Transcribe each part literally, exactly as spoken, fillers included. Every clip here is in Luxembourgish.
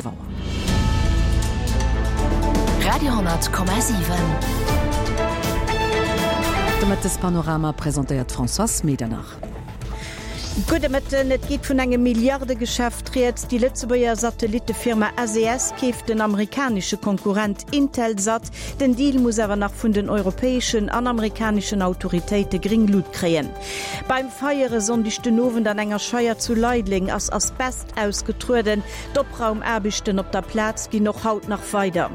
Auer. Radio Komma siwen. De Mëttespanorama presentéiert d'Françoise Medernach. Gudde Mëtten, Et geet vun engem Milliardegeschäft rieds. Déi Lëtzebuerger Satellittefirma S E S keeft den amerikanesche Konkurrent Intelsat. Den Deal muss awer nach vun den europäeschen an amerikaneschen Autoritéite gréng Luucht kréien. Beim Feier e Sonndeg den Owend an enger Scheier zu Leideleng ass Asbest ausgetrueden. D'Opraumaarbechten op der Plaz ginn och haut nach weider.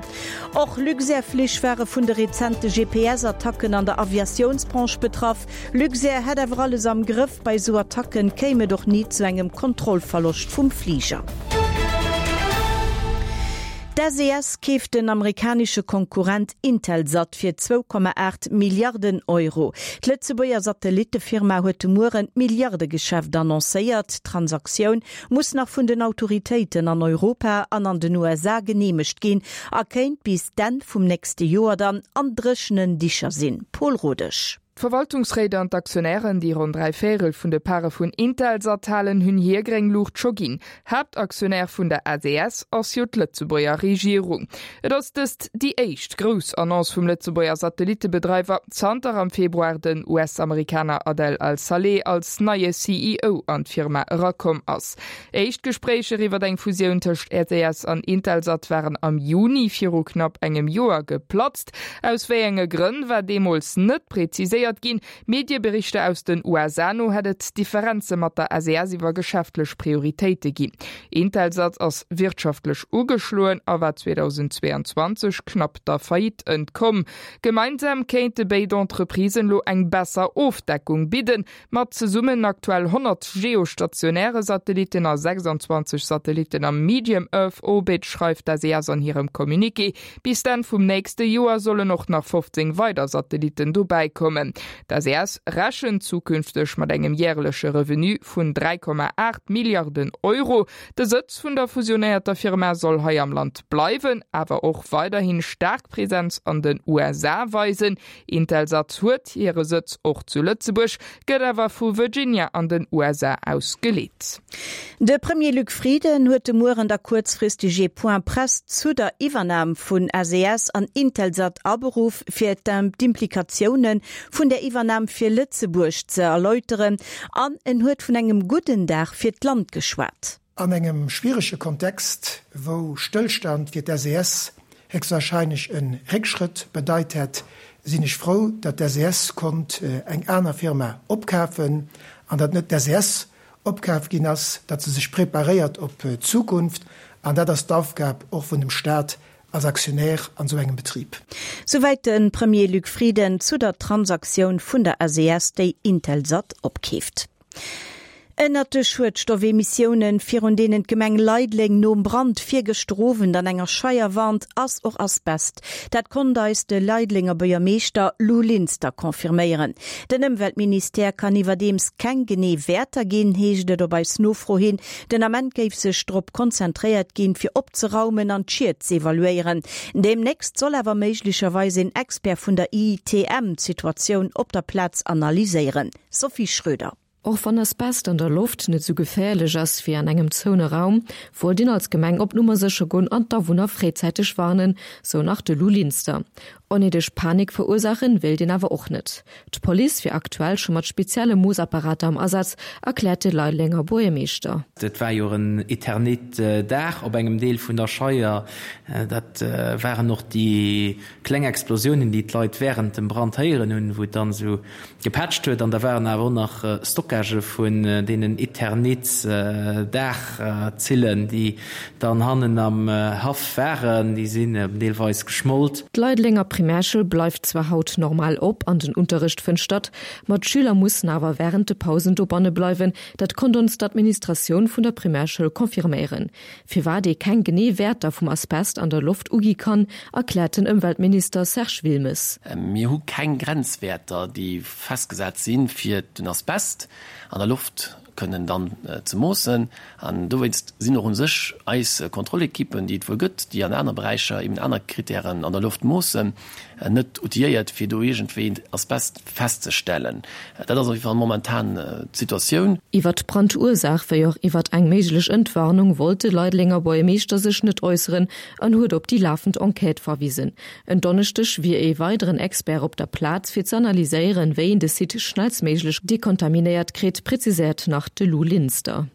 Och Luxair-Flich ware vun de rezente G P S-Attacken an der Aviatiounsbranche betraff. Luxair hätt awer alles am Grëff. Bei sou Attacken kéim et och ni zu engem Kontrollverloscht vum Fliger. D' S E S keeft den amerikanesche Konkurrent Intelsat fir zwou Komma aacht Milliarden Euro. D'Lëtzebuerger Satellittefirma huet de Mueren d'Milliardegeschäft annoncéiert. D'Transaktioun muss nach vun den Autoritéiten an Europa an an den U S A geneemegt ginn a kéint bis d'Enn vum nächste Joer dann an dréchenen Dicher sinn. Paul Rodesch. D'Verwaltungsréit an d'Aktionären, déi ronn dräi Véierel vun de Pare vun Intelsat halen, hunn hir gréng Luucht scho ginn. Haaptaktionär vun der S E S ass jo d'Lëtzebuerger Regierung. Et ass dëst déi éischt grouss Annonce vum Lëtzebuerger Satellittebedreiwer, zanter am Februar den U S-Amerikaner Adel Al-Saleh als neie C E O an d'Firma erakomm ass. Éischt Gespréicher iwwer eng Fusioun tëscht S E S an Intelsat waren am Juni viru knapp engem Joer geplatzt. Aus wéi enge Grënn war deemools net präziséiert ginn. Medieberichter aus den U S A no hätt et Differenze mat der S E S iwwer geschäftlech Prioritéite ginn. Intelsat ass wirtschaftlech ugeschloen a war zweedausendzweeanzwanzeg knapp der Faillite entkomm. Gemeinsam kéinte béid Entreprisen elo eng besser Ofdeckung bidden, mat zesummen aktuell honnert geostationäre Satellitten a sechsanzwanzeg Satellitten am Medium Earth Orbit, schreift d'S E S an hirem Communiqué. Bis d'Enn vum nächste Joer sollen och nach fofzéng weider Satellitten dobäi kommen. D' S E S rechent zukünfteg mat engem järleche Revenu vun dräi Komma aacht Milliarden Euro. De Sëtz vun der fusionéierter Firma soll hei am Land bleiwen, awer och weiderhi staark Presenz an den U S A weisen. Intelsat huet hire Sëtz och zu Lëtzebuerg, gëtt awer vu Virginia an den U S A aus geleet. De Premier Luc Frieden huet de Mueren da kuerzfristeg e Point Presse zu der Iwwernam vun S E S an Intelsat aberuff, fir d'Implikatioune vun der Iwwernam fir Lëtzebuerg ze erläuteren an en huet vun engem gudden Dag fir d'Land geschwat. An engem schwierege Kontext, wou Stëllstand fir d'S E S héchstwarscheinlech e Réckschrëtt bedeit hätt, sinn ech frou, datt d'S E S konnt eng aner Firma opkafen an datt net d'S E S opkaf ginn ass, datt se sech preparéiert op d'Zukunft an dat ass d'Aufgab och vun dem Staat als Aktionär an sou engem Betrib. Souwäit de Premier Luc Frieden zu der Transaktioun vun der S E S, déi Intelsat opkeeft. Ënnert de Schuedstoffemissiounen, virun deenen d'Gemeng Leideleng nom Brand virgëschter Owend an enger Scheier warnt, ass och Asbest. Dat konnt eis de Leidelenger Buergermeeschter Lou Linster confirméieren. Den Ëmweltministère kann iwwerdeems keng genee Wäerter ginn, heescht et op eis Nofro hin. Den Ament géif sech drop konzentréiert ginn, fir opzeraumen an d'Schied ze evaluéieren. Deemnächst soll awer méiglecherweis en Expert vun der I I T M d'Situatioun op der Plaz analyséieren. Sophie Schröder. Och wann Asbest an der Loft net sou geféierlech ass wéi an engem zoune Raum, wollt een als Gemeng op Nummer sécher goen an d'Awunner fréizäiteg warnen, sou nach de Lou Linster. Onnéideg Panik verursaachen wéilt een awer och net. D'Police wier aktuell scho mat spezielle Moossapparater am Asaz, erkläert de Leidelenger Buergermeeschter. Dat war jo en Eternit-Daach op engem Deel vun der Scheier. Dat waren och déi kleng Explosiounen, déi d'Leit wärend dem Brand héieren hunn, wou et dann esou gepätscht huet. An da waren awer och nach Stockagë vun deenen Eternit-Daachzillen, déi dann hannen am Haff waren, déi sinn deelweis geschmolt. D'Leidelenger Primärschoul bleift zwar haut normal op an den Unterrecht fënnt statt, ma d'Schüler mussen awer wärend de Pausen dobanne bleiwen, dat konnt ons d'Administratioun vun der Primärschoul confirméieren. Firwat ee keng genee Wäerter vum Asbest an der Loft ugi kann, erkläert den Ëmweltminister Serge Wilmes. Mir hu keng Grenzwäerter, déi festgesat sinn fir den Asbest an der Loft. kënnen dann ze moossen. An dowéinst sinn och u sech eis Kontrollekippen, déi et wuel gëtt, déi an aner Beräicher eben aner Kritären an der Loft moossen, net outilléiert, fir do iergendwéi Asbest festzestellen. Dat ass op jidde Fall momentan d'Situatioun. Iwwert d'Brandursaach wéi och iwwert eng méiglech Entwarnung wollt de Leidelenger Buergermeeschter sech net äusseren an huet op déi lafend Enquête verwisen. En Donneschdeg wier ee weideren Expert op der Plaz fir ze analyséieren, wéi een de Site schnellstméiglech dekontaminéiert kritt, präziséiert nach de Lou Linster.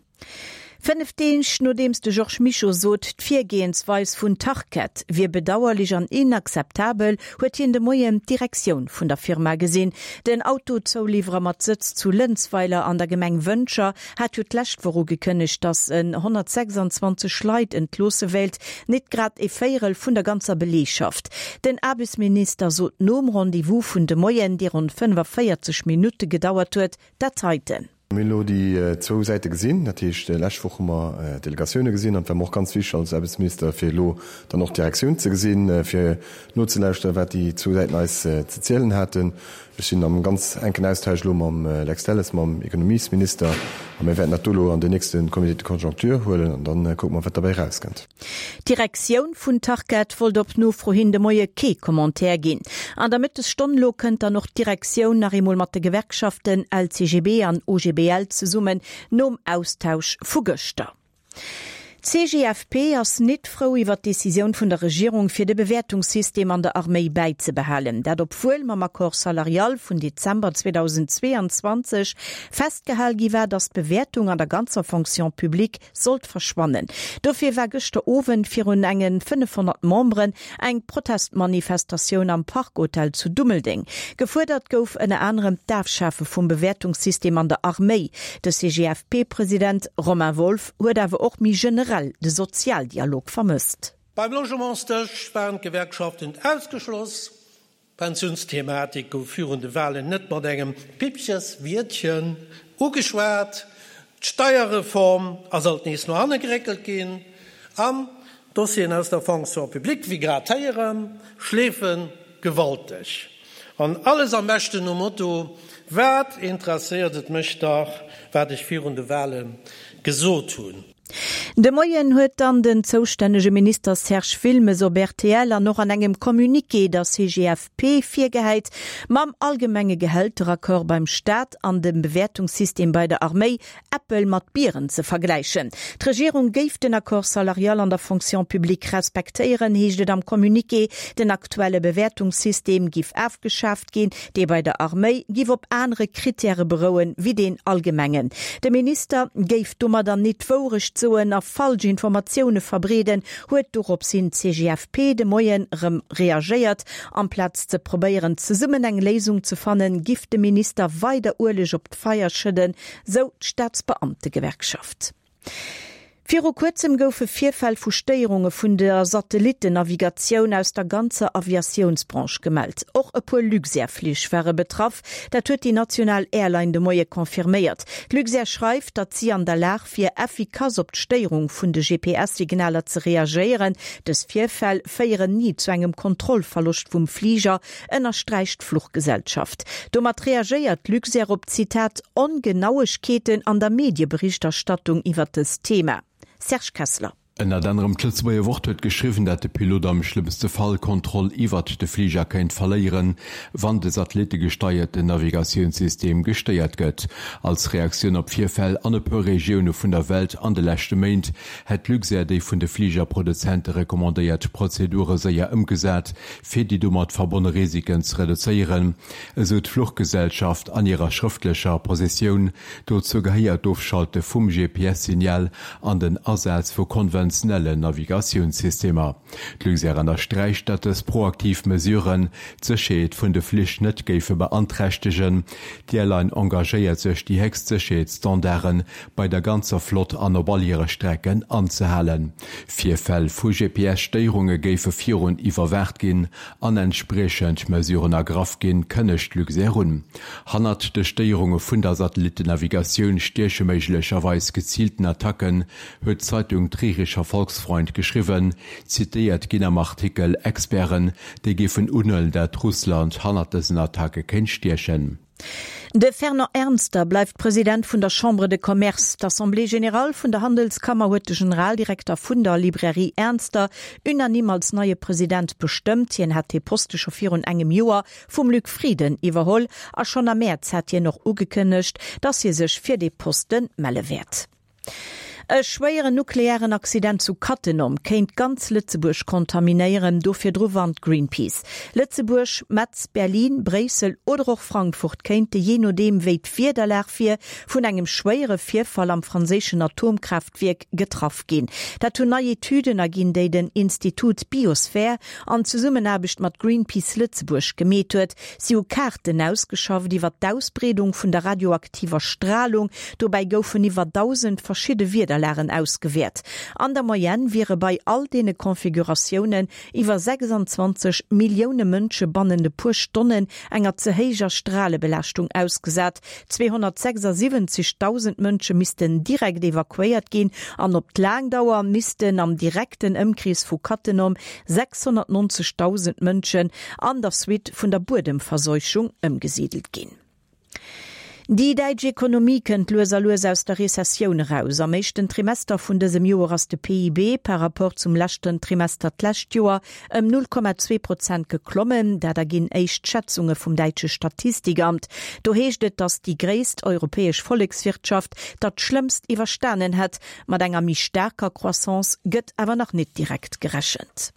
Fënnef Deeg nodeems de Georges Mischo sot, d'Virgoensweis vun Tarkett wier bedauerlech an inakzeptabel, huet hien de Moien d'Direktioun vun der Firma gesinn. Den Autozouliwwerer mat Sëtz zu Lënzweiler an der Gemeng Wëntger hat jo d'lescht Woch ugekënnegt, datt en honnertsechsandzwanzeg Leit entloosse wéilt, net grad e Véierel vun der ganzer Beleegschaft. Den Aarbechtsminister sot nom Rendez-vous vun de Moien, dee ronn fënnefaféierzeg Minutte gedauert huet, dat heiten. Mir hunn elo déi zwou Säite gesinn. Dat heescht, lescht Woch hu mer d'Delegatioune gesinn an et war mer och ganz wichteg als Aarbechtsminister, fir elo dann och d'Direktioun ze gesinn, fir nozelauschteren, wat déi zwou Säiten eis ze zielen haten. Ech sinn am ganz enken Austausch elo mam Lex Delles, mam Ekonomiesminister, a mir wäerten dat do elo an den nächste Comité de conjoncture huelen an da kucke mer, wat derbäi erauskënnt. D'Direktioun vun Tarkett wollt op Nofro hin de Moie kee Commentaire ginn. An der Mëttesstonn elo kënnt dann och d'Direktioun nach eemol mat de Gewerkschaften L C G B an O G B L zesummen, nom Austausch vu gëschter. D'C G F P ass nit frou iwwer d'Decisioun vun der Regierung fir de Bewäertungssystem an der Arméi bäizebehalen. Dat obwuel mam Accord salarial vun Dezember zweedausendzweeanzwanzeg festgehal gi war, datt d'Bewäertung an der ganzer Fonction publique sollt verschwannen. Dofir war gëschter Owend virun engen fënnefhonnert Memberen eng Protestmanifestatioun am Park Hotel zu Dummeldeng. Gefuerdert gouf ënner anerem d'Afschafe vum Bewäertungssystem an der Arméi. De C G F P-President Romain Wolff huet awer och méi generell de Sozialdialog vermësst. Beim Logementsdësch waren d'Gewerkschaften ausgeschloss. D'Pensiounsthematik gouf virun de Walen net mat engem Pippcheswiertchen ugeschwat. D'Steierreform ass alt nees no hanne geréckelt ginn an d'Dossieren aus der Fonction publique, wéi grad héieren, schleefe gewalteg. An alles am beschten nom Motto, Wat interesséiert et mech dach, wat ech virun de Wale gesot hunn. De Moien huet dann den zoustännege Minister Serge Wilmes op R T L an och an engem Communiqué der C G F P virgehäit, mam allgemenge Gehälteraccord beim Staat an dem Bewäertungssystem bei der Arméi Äppel mat Bieren ze vergläichen. D'Regierung géif den Accord salarial an der Fonction publique respektéieren, heescht et am Communiqué. Den aktuelle Bewäertungssystem giff afgeschaaft ginn, dee bei der Arméi giff op anere Krittäre berouen, wéi deen allgemengen. De Minister géif domadder net d'Wourecht soen a falsch Informatioune verbreeden, huet doropshin d'C G F P de Moien erëm reagéiert. Amplaz ze probéieren, zesummen eng Léisung ze fannen, giff de Minister weider Ueleg op d'Feier schëdden, sou d'Staatsbeamtegewerkschaft. Viru kuerzem goufe Virfäll vu Stéierunge vun der Satellittennavigatioun aus der ganzer Aviatiounsbranche gemellt. Och e puer Luxair-Flich ware betraff, dat huet déi national Airline de Moie confirméiert. D'Luxair schreift, datt si an der Lag wier, effikass op d'Stéierung vun de G P S-Signaler ze reagéieren. Dës Virfäll féieren ni zu engem Kontrollverloscht vum Fliger, ënnersträicht d'Fluchgesellschaft. Domat reagéiert d'Luxair op, Zitat, Ongenauegkeeten an der Medieberichterstattung iwwer dëst Thema. Serge Kessler. Ënnert anerem d'Lëtzebuerger Wort huet geschriwwen, dat de Pilot am schlëmmste Fall d'Kontroll iwwert de Fliger kéint verléieren, wann de satellittegesteierten Navigatiounssystem gestéiert gëtt. Als Reaktioun op Virfäll an e puer Regioune vun der Welt an de leschte Méint hätt Luxair déi vun de Fligerproduzente recommandéiert Prozedure séier ëmgesat, fir déi domat verbonne Risiken ze reduzéieren, esou d'Fluchgesellschaft an hirer schrëftlecher Positioun. Dozou gehéiert d'Ofschalte vum G P S-Signal an den Asaz vu konventionellen Navigatiounssystemer. D'Luxair ënnersträicht, datt dës proaktiv Mesuren d'Sécherheet vun de Flich net géife beanträchtegen. D'Airline engagéiert sech, déi héchst Sécherheetsstandarde bei der ganzer Flott an op all hire Strecken anzehalen. Virfäll vu G P S-Stéierunge géife virun iwwerwaacht ginn an entspriechend Mesuren ergraff ginn, kënnegt Luxair un. Hannert de Stéierunge vun der Satellittennavigatioun stieche méiglecherweis geziilten Attacken, huet d'Zeitung Trierischer Volksfreund geschriwwen. Zitéiert ginn am Artikel Experten, déi géifen unhuelen, dat Russland hannert dësen Attacke kéint stiechen. De Fernand Ernster bleift President vun der Chambre de Commerce. D'Assemblée générale vun der Handelskammer huet de Generaldirekter vun der Librairie Ernster unanime als neie President bestëmmt. Hien hat dee Poste scho virun engem Joer vum Luc Frieden iwwerholl a schonn am Mäerz hat hien och ugekënnegt, datt hie sech fir dee Poste melle wäert. E schwéieren nuklearen Accident zu Cattenom kéint ganz Lëtzebuerg kontaminéieren, do virdru warnt Greenpeace. Lëtzebuerg, Metz, Berlin, Bréissel oder och Frankfurt kéinte jee nodeem wéi d'Wiederlag wier, vun engem schwéiere Virfall am franséischen Atomkraaftwierk getraff ginn. Dat hunn nei Etüden erginn, déi den Institut Biosphere an Zesummenaarbecht mat Greenpeace Lëtzebuerg gemeet huet. Si hu Kaarten ausgeschafft iwwer d'Ausbreedung vun der radioaktiver Stralung. Dobäi goufen iwwer dausend verschidde Wiederlagen ausgewäert. An der Moyenne wiere bei all deene Konfiguratiounen iwwer sechsundzwanzeg Millioune Mënsche bannent e puer Stonnen enger ze héijer Stralebelaaschtung ausgesat. zweehonnertsechsundsiwwenzegdausend Mënsche missten direkt evakuéiert ginn an op d'laang Dauer missten am direkten Ëmkrees vu Cattenom sechshonnertneunzegdausend Mënschen an der Suite vun der Buedemverseuchung ëmgesidelt ginn. Déi däitsch Ekonomie kënnt lues a lues aus der Rezessioun eraus. Am éischten Trimester vun dësem Joer ass de P I B par rapport zum leschten Trimester d'lescht Joer ëm null Komma zwee Prozent geklommen. Dat erginn éischt Schätzunge vum däitsche Statistikamt. Do heescht et, datt déi gréisst europäesch Vollekswirtschaft dat Schlëmmst iwwerstanen hätt. Mat enger méi staarker Croissance gëtt awer nach net direkt gerechent.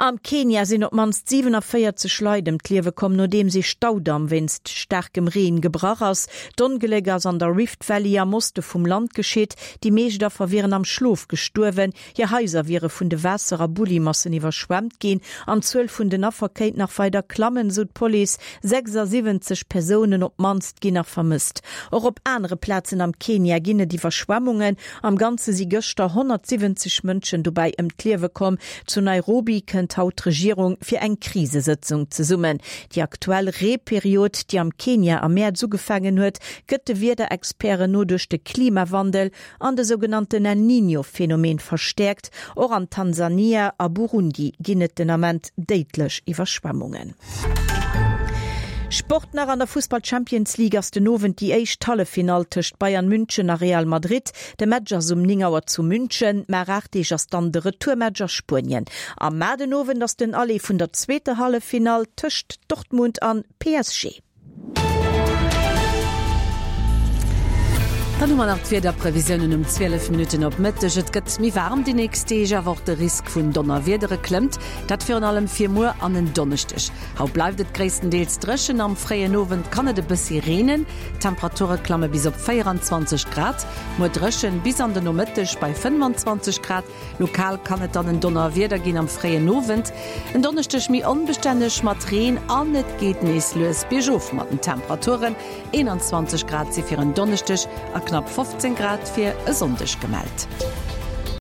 Am Kenia sinn op d'mannst siewenundvierzeg Leit ëm d'Liewe komm, nodeems ee Staudamm wéinst staarkem Reen gebrach ass. D'Ongléck ass an der Rift Valley am Oste vum Land geschitt. Déi meescht Affer wieren am Schlof gestuerwen, hir Haiser wiere vun de Waasser a Bullimassen iwwerschwemmt ginn an d'Zuel vun den Affer kéint nach weider klammen, sou d'Police. Sechsundsiwwenzeg Persounen op d'mannst ginn nach vermësst. Och op anere Plazen am Kenia ginn et Iwwerschwemmungen. Am Ganze si gëschter honnertsiwwenzeg Mënschen dobäi ëm d'Liewe komm. Zu Nairobi kënnt haut d'Regierung fir eng Krisesëtzung zesummen. Déi aktuell Reeperiod, déi am Kenia am Mäerz ugefaangen huet, gëtt de Wiederexperten no duerch de Klimawandel an de sougenannten El Niño-Phänomen verstäerkt. Och an Tansania a Burundi ginn et den Ament déidlech Iwwerschwemmungen. Sport nach, An der Fussball-Champions League ass den Owend déi éischt Halleffinall tëscht Bayern München a Real Madrid. De Match ass um néng Auer zu München. Mar aacht Deeg ass dann de Retourmatch a Spuenien. Am Mar den Owend ass den Aller vun der zweeter Halleffinall tëscht Dortmund an P S G. Dann hu mer nach d'Wiederprevisiounen um zwielef Minutten op Mëtteg. Et gëtt méi waarm déi nächst Deeg, awer och de Risk vun Donnerwiedere klëmmt. Dat virun allem fir muer an en Donneschdeg. Haut bleift et gréisstendeels dréchen, am fréien Owend kann et e bëssi reenen. D'Temperature klamme bis op véieranzwanzeg Grad. Muer dréchen bis an den Nomëtteg bei fënnefanzwanzeg Grad. Lokal kann et dann en Donnerwieder ginn am fréien Owend. En Donneschdeg méi onbestänneg mat Reen an et geet nees lues biergof mat den Temperaturen. Eenanzwanzeg Grad si fir en Donneschdeg a knapp fofzéng Grad fir e Sonndeg gemellt.